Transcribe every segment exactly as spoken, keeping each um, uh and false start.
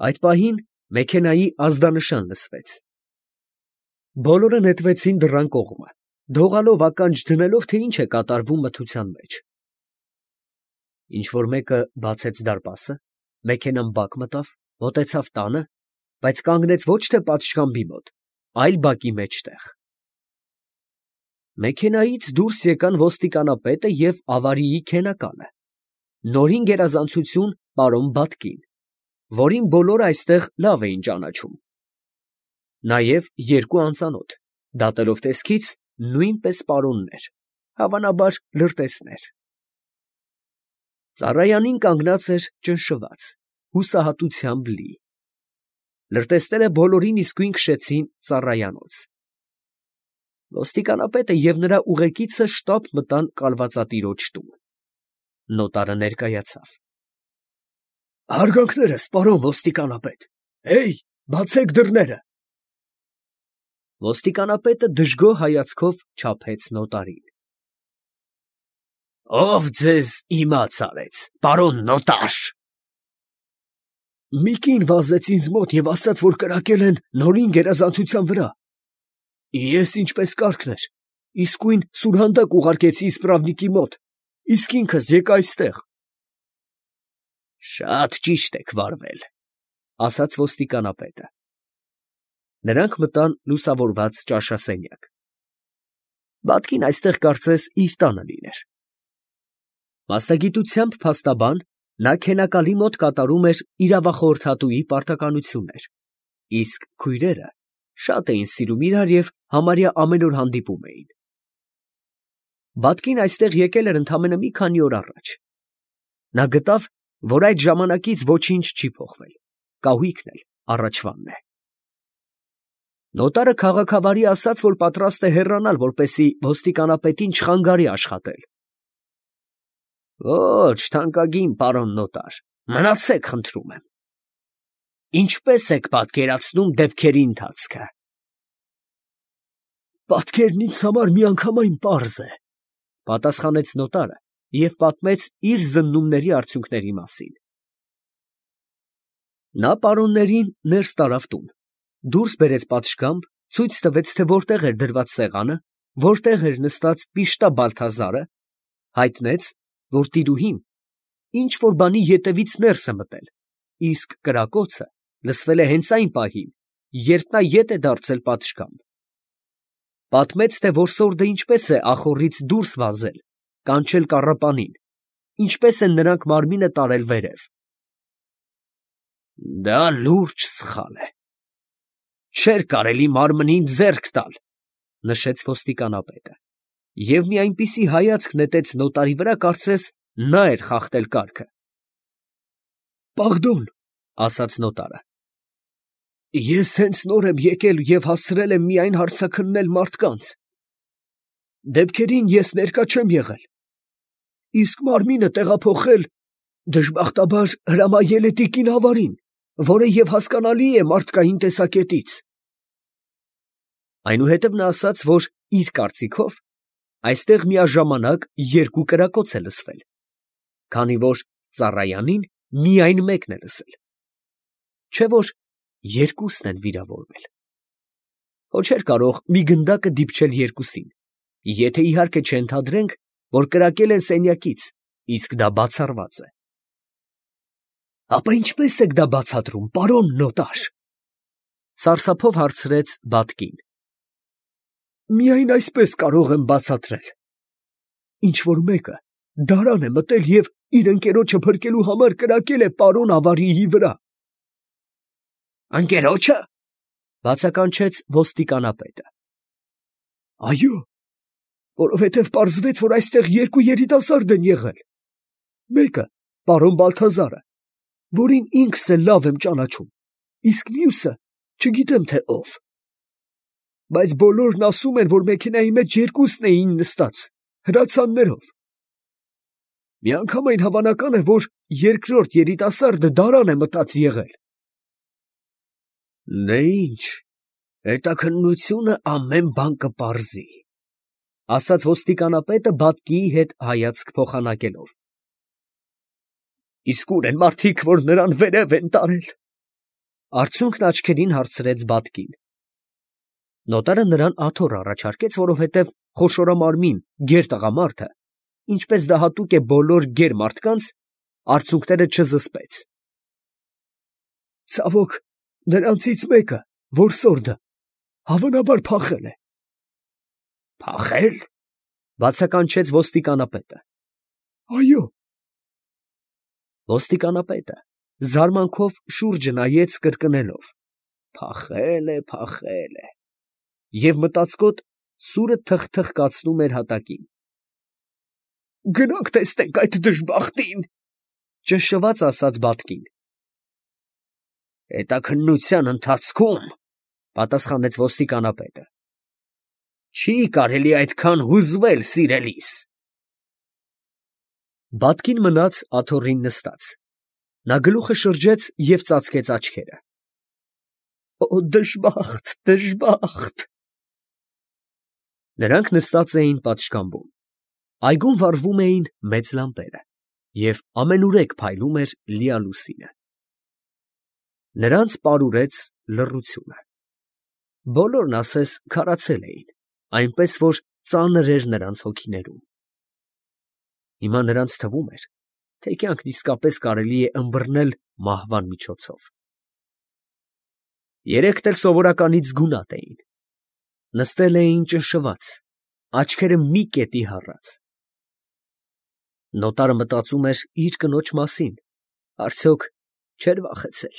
Այդ պահին մեքենայի ազդանշան լսվեց։ Բոլորը նետվեցին դռան կողմը, դողալով ականջ դնելով, թե ինչ է կատարվում մթության մեջ։ Ինչ֊որ մեկը բացեց դարպասը, մեքենան բակ մտավ, մոտեցավ տանը, բայց կանգնեց ոչ թե պատշգամբի մոտ, այլ բակի մեջտեղ։ Մեքենայից դուրս եկան ոստիկանապետը և ավարիի քենականը, նորին գերազանցություն պարոն Բատկին, որին բոլորը այստեղ լավ էին ճանաչում, նաև երկու անծանոթ, դատելով տեսքից, նույնպես պարոններ, հավանաբար լրտեսներ։ Ծառայանին կանգնած էր ճնշված, հուսահատությամբ լի։ Լրտեսները բոլորին իսկույն քշեցին ծառայանոց։ Ոստիկանապետը և նրա ուղեկիցը շտապ մտան կալվածատիրոջ տուն։ Նոտարը ներկայացավ։ Հարգանքներս, պարոն ոստիկանապետ, հեյ, բացեք դռները։ Ոստիկանապետը դժգոհ հայացքով չափեց նոտարին։ Ո՞վ ձեզ իմաց արեց, պարոն նոտար։ Մի կին վազեց ինձ մոտ և ասաց, որ կրակել են նորին գերազանցության վրա։ Ես, ինչպես կարգն էր, իսկույն սուրհանդակ ուղարկեցի իսպրավնիկի մոտ, իսկ ինքս եկա այստեղ։ Շատ ճիշտ եք վարվել, ասաց ոստիկանապետը։ Նրանք մտան լուսավորված ճաշասենյակ։ Բատկին այստեղ կարծես իր տանը լիներ։ Մասնագիտությամբ փաստաբան, նա քենակալի մոտ կատարում էր իրավախորհրդատուի պարտականություններ, իսկ քույրերը շատ էին սիրում իրար և համարյա ամեն օր հանդիպում էին։ Բատկին այստեղ եկել էր ընդամենը մի քանի օր առաջ։ Նա գտավ, որ այդ ժամանակից ոչինչ չի փոխվել, կահույքն էլ առաջվանն է։ Նոտարը քաղաքավարի ասաց, որ պատրաստ է հեռանալ, որպեսզի ոստիկանապետին չխանգարի աշխատել։ Ոչ, թանկագին պարոն նոտար, մնացեք, խնդրում եմ։ Ինչպես եք պատկերացնում դեպքերի ընթացքը։ Պատկերն ինձ համար միանգամայն պարզ է, պատասխանեց նոտարը և պատմեց իր զննումների արդյունքների մասին։ Նա պարոններին ներս տարավ տուն, դուրս բերեց պատշգամբ, ցույց տվեց, թե որտեղ էր դրված սեղանը, որտեղ էր նստած Պիշտա Բալթազարը, հայտնեց, որ տիրուհին ինչ֊որ բանի ետևից ներս է մտել, իսկ կրակոցը լսվել է հենց այն պահին, երբ նա ետ է դարձել պատշգամբ։ Պատմեց, թե որսորդը ինչպես է ախոռից դուրս վազել, կանչել կառապանին, ինչպես են նրանք մարմինը տարել վերև։ Դա լուրջ սխալ է։ Չէր կարելի մարմնին ձեռք տալ, նշեց ոստիկանապետը, և մի այնպիսի հայացք նետեց նոտարի վրա, կարծես նա էր խախտել կարգը։ Պարդոն, ասաց նոտարը, ես հենց նոր եմ եկել և հասցրել եմ միայն հարցաքննել մարդկանց։ Դեպքերին ես ներկա չեմ եղել, իսկ մարմինը տեղափոխել դժբախտաբար հրամայել է տիկին ավարին, որը և հասկանալի է մարդկային տեսակետից։ Այնուհետև նա ասաց, որ իր կարծիքով այստեղ միաժամանակ երկու կրակոց է լսվել, քանի որ ծառայանին միայն մեկն է լսել, չէ՞ որ երկուսն են վիրավորվել։ Հո չէր կարող մի գնդակը դիպչել երկուսին, եթե իհարկե չենթադրենք, որ կրակել են սենյակից, իսկ դա բացառված է։ Ապա ինչպե՞ս եք դա բացատրում, պարոն նոտար, սարսափով հարցրեց Բատկին։ Միայն այսպես կարող եմ բացատրել։ Ինչ֊որ մեկը դարան է մտել և իր ընկերոջը փրկելու համար կրակել է պարոն ավարիի վրա։ Ընկերո՞ջը, բացականչեց ոստիկանապետը։ Այո, որովհետև պարզվեց, որ այստեղ երկու երիտասարդ են եղել, մեկը պարոն Բալթազարը, որին ինքս էլ լավ եմ ճանաչում, իսկ մյուսը չգիտեմ, թե ով։ Բայց բոլորն ասում են, որ մեքենայի մեջ երկուսն էին նստած, հրացաններով։ Միանգամայն հավանական է, որ երկրորդ երիտասարդը դարան է մտած եղել։ Դե ինչ, հետաքննությունը ամեն բան կպարզի, ասաց ոստիկանապետը Բատկիի հետ հայացք փոխանակելով։ Իսկ ո՞ւր են մարդիկ, որ նրան վերև են տարել։ Արցունքն աչքերին հարցրեց Բատկին։ Նոտարը նրան աթոռ առաջարկեց, որովհետև խոշորամարմին գեր տղամարդը, ինչպես դա հատուկ է բոլոր գեր մարդկանց, արցունքները չզսպեց։ Ցավոք, նրանցից մեկը, որսորդը, հավանաբար փախել է։ Փախել, բացականչեց ոստիկանապետը։ Այո։ Ոստիկանապետը զարմանքով շուրջը նայեց կրկնելով. Փախել է, փախել է, և մտածկոտ սուրը թխթխկացնում էր հատակին։ Գնանք տեսնենք այդ դժբախտին, ճնշված ասաց Բատկին։ Հետաքննության ընթացքում, պատասխանեց ոստիկանապետը, չի կարելի այդքան հուզվել սիրելիս։ Բատկին մնաց աթոռին նստած, նա գլուխը շրջեց և ծածկեց աչքերը։ Օ, դժբախտ, դժբախտ։ Նրանք նստած էին պատշգամբում, այգում վառվում էին մեծ լամպերը, և ամենուրեք փայլում էր լիալուսինը։ Նրանց պարուրեց լռությունը։ Բոլորն ասես քարացել էին, այնպես որ ծանր էր նրանց հոգիներում։ Հիմա նրանց թվում էր, թե կյանքն իսկապես կարելի է ըմբռնել մահվան միջոցով։ Երեքն էլ սովորականից գունատ էին, նստել էին ճնշված, աչքերը մի կետի հառած։ Նոտարը մտածում էր իր կնոջ մասին, արդյոք չէր վախեցել։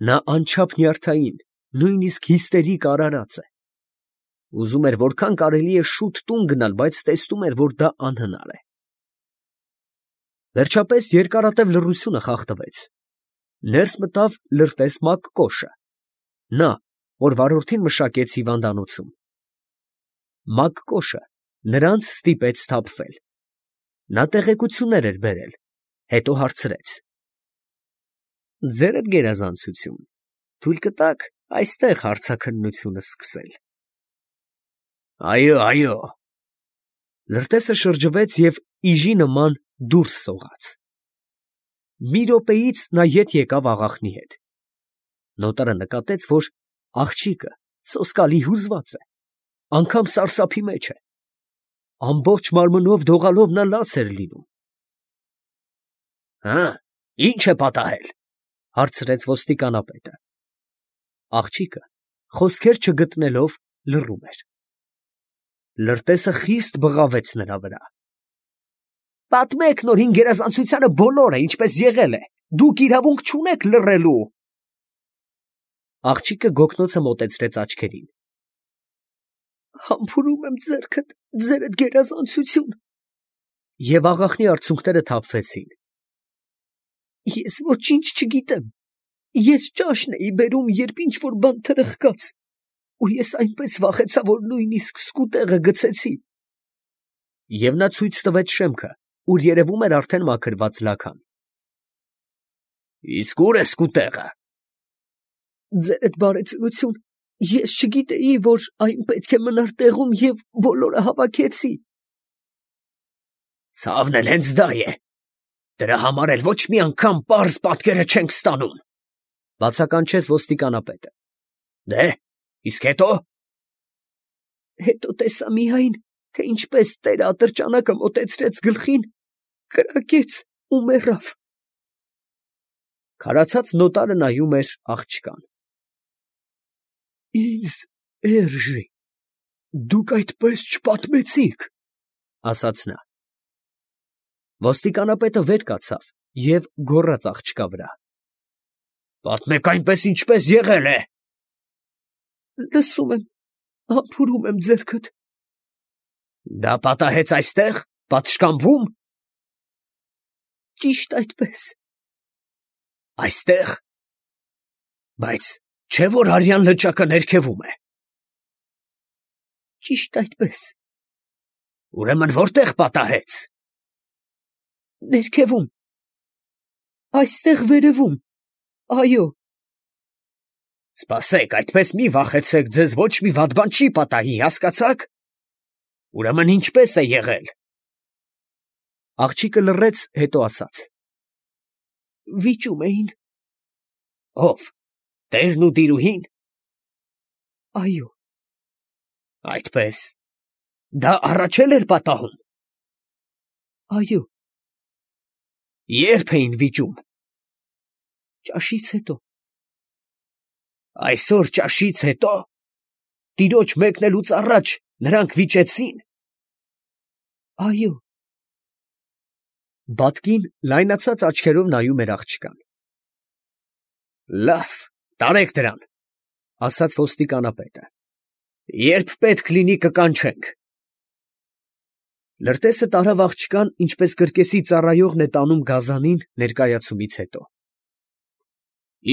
Նա անչափ նյարդային, նույնիսկ հիստերիկ արարած է։ Ուզում էր որքան կարելի է շուտ տուն գնալ, բայց տեսնում էր, որ դա անհնար է։ Վերջապես երկարատև լռությունը խախտվեց։ Ներս մտավ լրտես Մակկոշը, նա, որ վարորդին մշակեց հիվանդանոցում։ Մակկոշը նրանց ստիպեց սթափվել։ Նա տեղեկություններ էր բերել, հետո հարցրեց. Ձերդ գերազանցություն, թույլ կտաք այստեղ հարցաքննությունը սկսել։ Այո, այո։ Լրտեսը շրջվեց և իժի նման դուրս սողաց։ Մի րոպեից նա ետ եկավ աղախնի հետ։ Նոտարը նկատեց, որ աղջիկը սոսկալի հուզված է, անգամ սարսափի մեջ է։ Ամբողջ մարմնով դողալով նա լաց էր լինում։ Հը, ի՞նչ է պատահել, հարցրեց ոստիկանապետը։ Աղջիկը, խոսքեր չգտնելով, լռում էր։ Լրտեսը խիստ բղավեց նրա վրա։ Պատմեք նոր հին գերազանցությանը բոլորը, ինչպես եղել է, դուք իրավունք չունեք լռելու։ Աղջիկը գոգնոցը մոտեցրեց աչքերին։ Համբուրում եմ ձեռքդ, ձերդ գերազանցություն։ Եվ աղախնի արցունքները թափվեցին։ Ես ոչինչ չգիտեմ։ Ես ճաշն էի բերում, երբ ինչ֊որ բան թրխկաց, ու ես այնպես վախեցա, որ նույնիսկ սկուտեղը գցեցի։ Եվ նա ցույց տվեց շեմքը, ուր երևում էր արդեն մաքրված լաքան։ Իսկ ո՞ւր է սկուտեղը։ Ձերդ բարեծնություն, ես չգիտեի, որ այն պետք է մնար տեղում և բոլորը հավաքեցի։ Ցավն էլ հենց դա է։ Դրա համար էլ ոչ մի անգամ պարզ պատկերը չենք ստանում, բացականչեց ոստիկանապետը։ Դե, իսկ հետո։ Հետո տեսա միայն, թե ինչպես տերը ատրճանակը մոտեցրեց գլխին, կրակեց ու մեռավ։ Քարացած նոտարը նայում էր աղջկան։ Ինձ էրժի, դուք այդպես չպատմեցիք, ասաց նա։ Ոստիկանապետը վեր կացավ և գոռաց աղջկա վրա. Պատմեք այնպես, ինչպես եղել է։ Լսում եմ, համբուրում եմ ձեռքդ։ Դա պատահեց այստեղ, պատշգամբում։ Ճիշտ այդպես։ Այստեղ։ Բայց չէ՞ որ արյան լճակը ներքևում է։ Ճիշտ այդպես։ Ուրեմն որտե՞ղ պատահեց։ Ներքևում։ Այստեղ վերևում, այո։ Սպասեք, այդպես մի վախեցեք, ձեզ ոչ մի վատ բան չի պատահի, հասկացաք։ Ուրեմն ինչպես է եղել։ Աղջիկը լռեց, հետո ասաց. Վիճում էին։ Ո՞վ, տերն ու տիրուհի՞ն։ Այո։ Այդպես, դա առաջել էր պատահում։ Այո։ Ե՞րբ էին վիճում։ Ճաշից հետո։ Այսօր ճաշից հետո, տիրոջ մեկնելուց առաջ նրանք վիճեցի՞ն։ Այո։ Բատկին լայնացած աչքերով նայում էր աղջկան։ Լավ, տարեք դրան, ասաց ոստիկանապետը, երբ պետք լինի կկանչենք։ Լրտեսը տարավ աղջկան, ինչպես կրկեսի ծառայողն է տանում գազանին ներկայացումից հետո։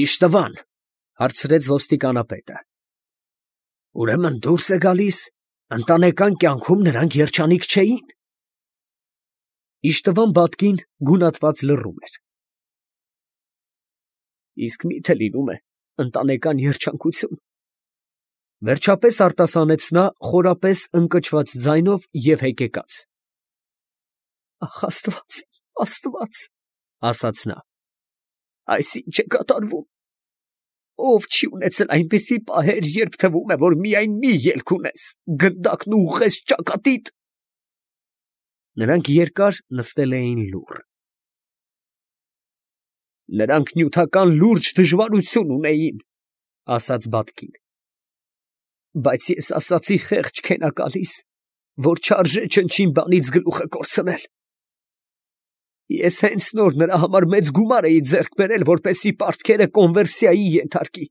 Իշտվան, հարցրեց ոստիկանապետը։ Ուրեմն դուրս է գալիս, ընտանեկան կյանքում նրանք երջանիկ չէին։ Իշտվան բատկին գունատված լռում էր։ Իսկ մի՞թե լինում է ընտանեկան երջանկություն։ Վերջապես արտասանեց նա խորապես ընկճված ձայնով և հեկեկաց։ Ախ, Աստված, Աստված, ասաց նա, այս ի՞նչ է կատարվում։ Ով չի ունեցել այնպիսի պահեր, երբ թվում է, որ միայն մի ելք ունես, գնդակն ուղղես ճակատիդ։ Նրանք երկար նստել էին լուռ։ Նրանք նյութական լուրջ դժվարություն ունեին, ասաց բատկին։ Բայց ես ասացի խեղճ քենակալիս, որ չարժե չնչին բանից գլուխը կորցնել։ Ես հենց նոր նրա համար մեծ գումար էի ձեռք բերել, որպեսզի պարտքերը կոնվերսիայի ենթարկի։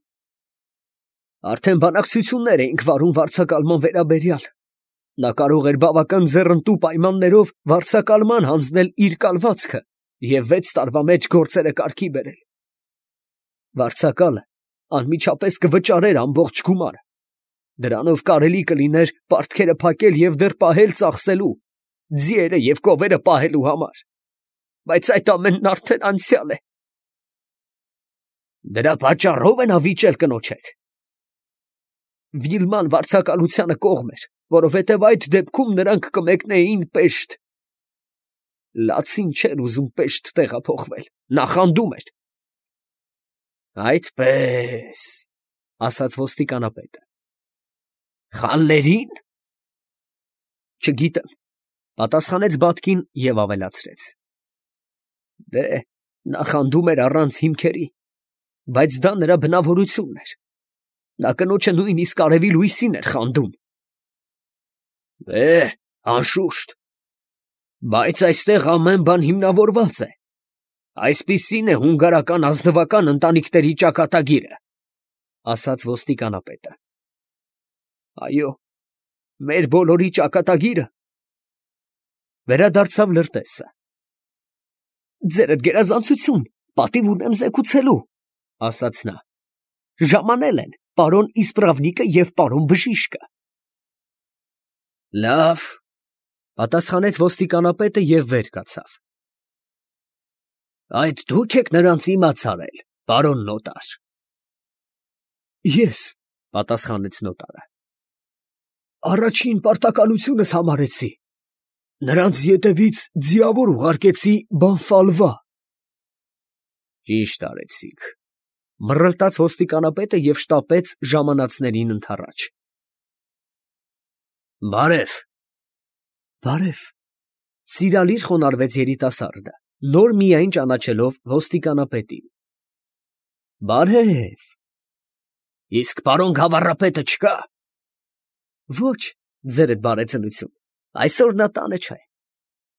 Արդեն բանակցություններ էինք վարում վարձակալման վերաբերյալ։ Նա կարող էր բավական ձեռնտու պայմաններով վարձակալման հանձնել իր կալվածքը և վեց տարվա մեջ գործերը կարգի բերել։ Վարձակալը անմիջապես կվճարեր ամբողջ գումարը։ Դրանով կարելի կլիներ պարտքերը փակել և դեռ պահել ծախսելու, ձիերը և կովերը պահելու համար։ Բայց այդ ամենն արդեն անցյալ է։ Դրա պատճառով է նա վիճել կնոջ հետ։ Վիլման վարձակալությանը կողմ էր, որովհետև այդ դեպքում նրանք կմեկնեին Պեշտ։ Լացին չէր ուզում Պեշտ տեղափոխվել, նախանդում էր։ Այդպես, ասաց ոստիկանապետը։ Խալլերին։ Չգիտեմ, պատասխանեց բատկին և ավելացրեց. Դե, նախանդում էր առանց հիմքերի, բայց դա նրա բնավորությունն էր։ Նա կնոջը նույնիսկ արևի լույսին էր խանդում։ Է, անշուշտ, բայց այստեղ ամեն բան հիմնավորված է։ Այսպիսին է հունգարական ազնվական ընտանիքների ճակատագիրը, ասաց ոստիկանապետը։ Այո, մեր բոլորի ճակատագիրը։ Վերադարձավ լրտեսը։ Ձերդ գերազանցություն, պատիվ ունեմ զեկուցելու, ասաց նա։ Ժամանել են պարոն Իսպրավնիկը և պարոն Բժիշկը։ Լավ, պատասխանեց ոստիկանապետը և վեր կացավ։ Այդ դուք եք նրանց իմաց արել, պարոն նոտար։ Ես, պատասխանեց նոտարը։ Առաջին պարտականությունս համարեցի։ Նրանց ետևից ձիավոր ուղարկեցի Բանֆալվա։ Ճիշտ արեցիք, մռլտաց ոստիկանապետը և շտապեց ժամանածներին ընդառաջ։ Բարև։ Բարև, սիրալիր խոնարհվեց երիտասարդը, նոր միայն ճանաչելով ոստիկանապետին։ Բարև։ Իսկ պարոն գավառապետը չկա։ Ոչ, ձերդ բարեծնություն, այսօր նա տանը չէ։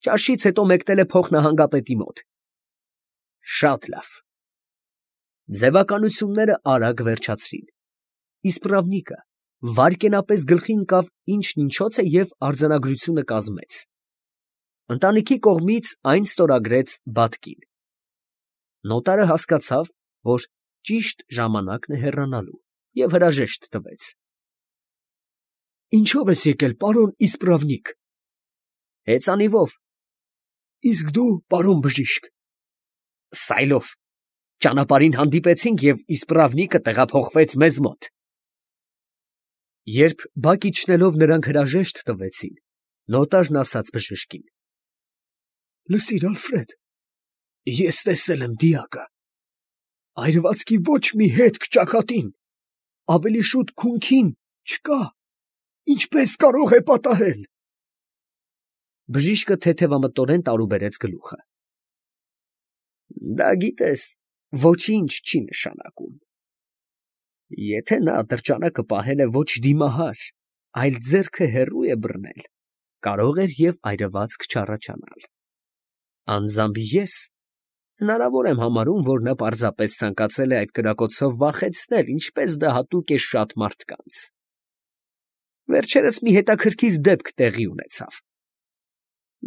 Ճաշից հետո մեկնել է փոխնահանգապետի մոտ։ Շատ լավ։ Ձևականությունները արագ վերջացրին։ Իսպրավնիկը վայրկենապես գլխի ընկավ ինչն ինչոց է և արձանագրությունը կազմեց։ Ընտանիքի կողմից այն ստորագրեց բատկին։ Նոտարը հասկացավ, որ ճիշտ ժամանակն է հեռանալու և հրաժեշտ տվեց։ Ինչո՞վ ես եկել, պարոն Իսպրավնիկ։ Հեծանիվով։ Իսկ դու, պարոն Բժիշկ։ Սայլով։ Ճանապարհին հանդիպեցինք և Իսպրավնիկը տեղափոխվեց մեզ մոտ։ Երբ բակ իջնելով նրանք հրաժեշտ տվեցին, նոտարն ասաց բժշկին. Լսիր, Ալֆրեդ, ես տեսել եմ դիակը։ Այրվածքի ոչ մի հետք ճակատին, ավելի շուտ քունքին չկա, ինչպես կարող է պատահել։ Բժիշկը թեթևամտորեն տարուբերեց գլուխը։ Դա գիտես, ոչինչ չի նշանակում։ Եթե նա ատրճանակը պահել է ոչ դիմահար, այլ ձեռքը հեռու է բռնել, կարող էր և այրվածք չառաջանալ։ Անձամբ ես հնարավոր եմ համարում, որ նա պարզապես ցանկացել է այդ կրակոցով վախեցնել, ինչպես դա հատուկ է շատ մարդկանց։ Վերջերս մի հետաքրքիր դեպք տեղի ունեցավ։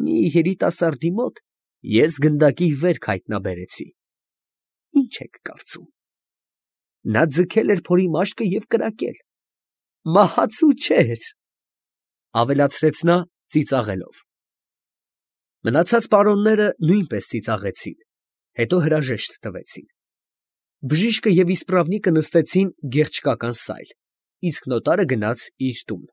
Մի երիտասարդի մոտ ես գնդակի վերք հայտնաբերեցի։ Ինչ եք կարծում։ Նա ձգել էր փորի մաշկը և կրակել։ Մահացու չէր, ավելացրեց նա ծիծաղելով։ Մնացած պարոնները նույնպես ծիծաղեցին, հետո հրաժեշտ տվեցին։ Բժիշկը և իսպռավնիկը նստեցին գեղչկական սայլ, իսկ նոտարը գնաց իր տուն։